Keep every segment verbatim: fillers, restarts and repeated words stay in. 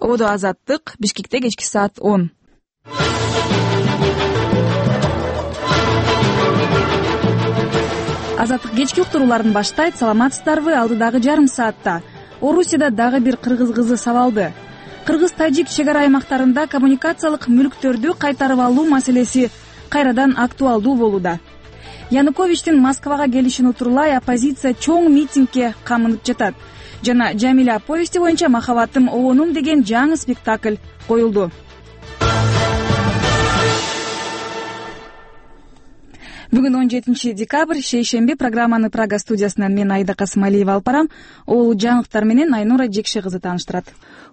Ободо Азаттык, Бишкекте кечки саат он. Азаттык кечки уктурууларын баштайт. Саламатсыздарбы? Алдыдагы жарым саатта Орусияда дагы бир кыргыз кызы сабалды. Кыргыз-тажик чек ара аймактарында коммуникациялык мүлктөрдү кайтарып алуу маселеси кайрадан актуалдуу болууда. Януковичтин Москвага келишин утурлай оппозиция чоң митингге камынып жатат. Жана Жамиля повести боюнча «Махаббатым обонум» деген жаңы спектакль коюлду. Бүгүн он жетинчи декабрь, шейшемби. Программаны Прага студиясынан мен Айда Касымалиева алып барам. Ол жаңылыктар менен Айнура Жекше кызы тааныштырат.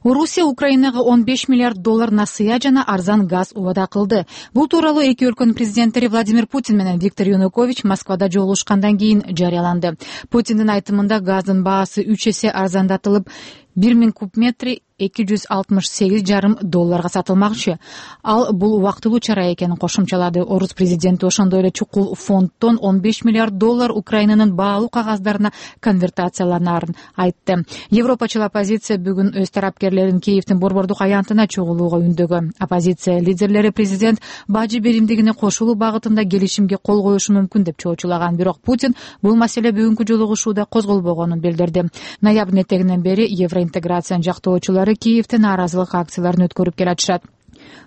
Орусия Украинага он беш миллиард доллар насыя жана арзан газ убада кылды. Бул тууралуу эки өлкөнүн президенттери Владимир Путин менен Виктор Янукович Москвада жолугушкандан кийин жарыяланды. Путиндин айтымында газдын баасы үч эсе арзандатылып, бир миң куб метри эки жүз алтымыш сегиз жарым долларга сатылмакчы. Ал бул убактылуу чара экенин кошумчалады. Орус президенти ошондой эле чукул фонддон он беш миллиард доллар Украинанын баалуу кагаздарына конвертацияланаарын айтты. Европачыл оппозиция бүгүн өз тарапкерлерин Киевдин борбордук аянтына чогулууга үндөгөн. Оппозиция лидерлери президент бажы беримдигине кошулуу багытында келишимге кол коюшу мүмкүн деп чоочулаган. Бирок Путин бул маселе бүгүнкү жолугушууда козголбогонун билдирди. Ноябрдын этегинен бери евроинтеграциянын жактоочулары Киевде нааразылык акцияларын өткөрүп келатышат.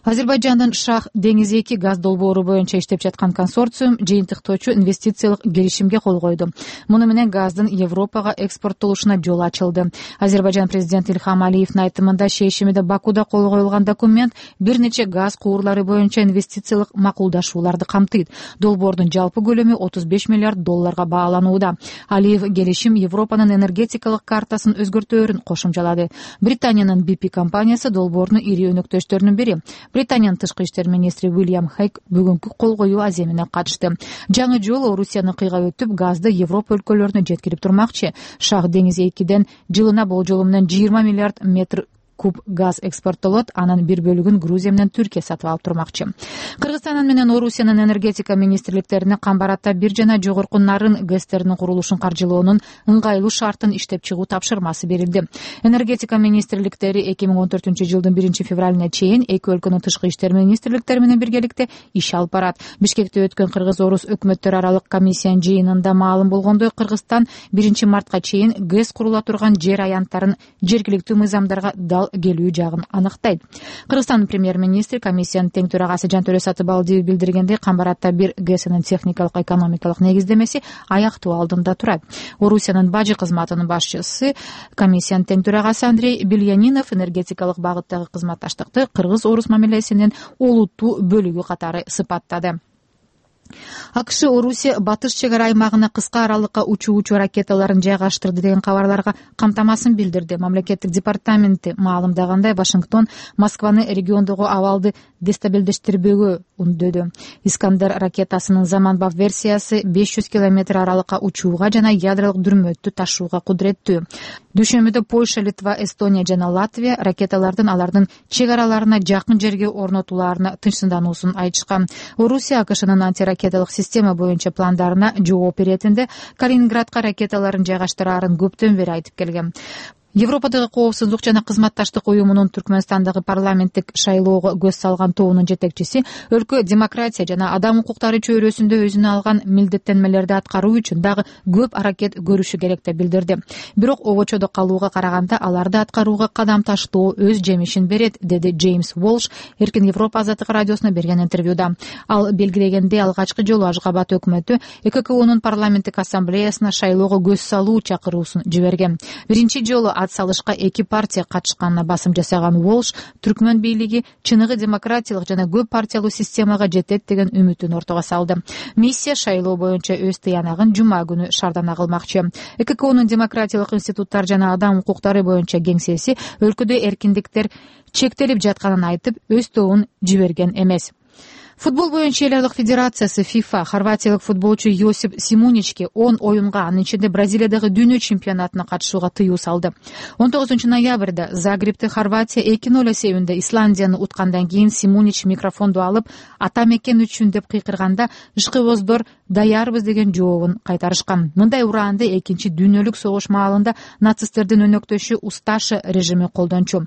Азербайжандын Шах деңиз эки газ долбоору боюнча иштеп жаткан консорциум жыйынтыктоочу инвестициялык келишимге кол койду. Муну менен газдын Европага экспорттолушуна жол ачылды. Азербайжан президенти Ильхам Алиевдин айтымында шейшемиде Бакуда кол коюлган документ бир нече газ куурлары боюнча инвестициялык макулдашууларды камтыйт. Долбоордун жалпы көлөмү отуз беш миллиард долларга бааланууда. Алиев келишим Европанын энергетикалык картасын өзгөртөөрүн кошумчалады. Британиянын би пи компаниясы долбоордун ири өнөктөштөрүнүн бири. Британиянын тышкы иштер министри Уильям Хайк бүгүнкү кол коюу аземине катышты. Жаңы жолу Орусияны кыйга өтүп, газды Европа өлкөлөрүнө жеткирип турмакчы. Шах деңиз экиден жылына болжолу менен жыйырма миллиард метр куб газ экспорттолот, анын бир бөлүгүн Грузия менен Түркия сатып алып турмакчы. Кыргызстан менен Орусиянын энергетика министрликтерине камбарата бир жана жогорку нарын гэстеринин курулушун каржылоонун ыңгайлуу шартын иштеп чыгуу тапшырмасы берилди. Энергетика министрликтери эки миң он төртүнчү жылдын биринчи февралына чейин эки өлкөнүн тышкы иштер министрликтери менен биргеликте иш алып барат. Бишкекте өткөн Кыргыз-Орус өкмөттөр аралык комиссиянын жыйынында маалым болгондой, Кыргызстан биринчи мартка чейин гэс курула турган жер аянттарын жергиликтүү мыйзамдарга дал келүү жагын аныктайт. Кыргызстандын премьер-министри комиссиянын тең төрагасы Жантөрө Сатыбалдиев билдиргендей, камбарата бир гэсинин техникалык экономикалык негиздемеси аяктоо алдында турат. Орусиянын бажы кызматынын башчысы, комиссиянын тең төрагасы Андрей Бельянинов энергетикалык багыттагы кызматташтыкты Кыргыз-Орус мамилесинин олуттуу бөлүгү катары сыпаттады. АКШ Орусия батыш чек ара аймагына кыска аралыкка учуучу ракеталарын жайгаштырды деген кабарларга камтамасын билдирди. Мамлекеттик департаменти маалымдагандай, Вашингтон Москваны региондогу абалды дестабилдештирбөөгө үндөдү. Искандер ракетасынын заманбап версиясы беш жүз километр аралыкка учууга жана ядролук дүрмөттү ташууга кудуреттүү. Дүйшөмбүдө Польша, Литва, Эстония жана Латвия ракеталардын алардын чек араларына жакын жерге орнотууларына тынчсыздануусун айтышкан. Орусия АКШнын антиракеталык система боюнча пландарына жооп беретинде Калининградка ракеталарын жайгаштыраарын көптөн бери айтып келген. Европадагы коопсуздук жана кызматташтык уюмунун Түркмөнстандагы парламенттик шайлоого көз салган тобунун жетекчиси өлкө демократия жана адам укуктары чөйрөсүндө өзүнө алган милдеттенмелерди аткаруу үчүн дагы көп аракет көрүшү керек деп билдирди. Бирок обочодо калууга караганда аларды аткарууга кадам таштоо өз жемишин берет, деди Джеймс Уолш Эркин Европа азаттык радиосуна берген интервьюда. Ал белгилегендей, алгачкы жолу Ашгабад өкмөтү Э К К Унун парламенттик ассамблеясына шайлоого көз салуу чакыруусун жиберген. Биринчи жолу ат салышка эки партия катышканына басым жасаган Уолш Түркмөн бийлиги чыныгы демократиялык жана көп партиялуу системага жетет деген үмүтүн ортого салды. Миссия шайлоо боюнча өз тыянагын жума күнү шардана кылмакчы. Э К К Унун демократиялык институттар жана адам укуктары боюнча кеңсеси өлкөдө эркиндиктер чектелип жатканын айтып, өз тобун жиберген эмес. Футбол боюнча эл аралык федерациясы ФИФА хорватиялык футболчу Йосип Симуничке он оюнга, анын ичинде Бразилиядагы дүйнө чемпионатына катышууга тыюу салды. он тогузунчу ноябрда Загребте Хорватия эки ноль эсебинде Исландияны уткандан кийин Симунич микрофонду алып, ата мекен үчүн деп кыйкырганда ышкыбоздор даярбыз деген жообун кайтарышкан. Мындай ураанды экинчи дүйнөлүк согуш маалында нацисттердин өнөктөшү Усташи режими колдончу.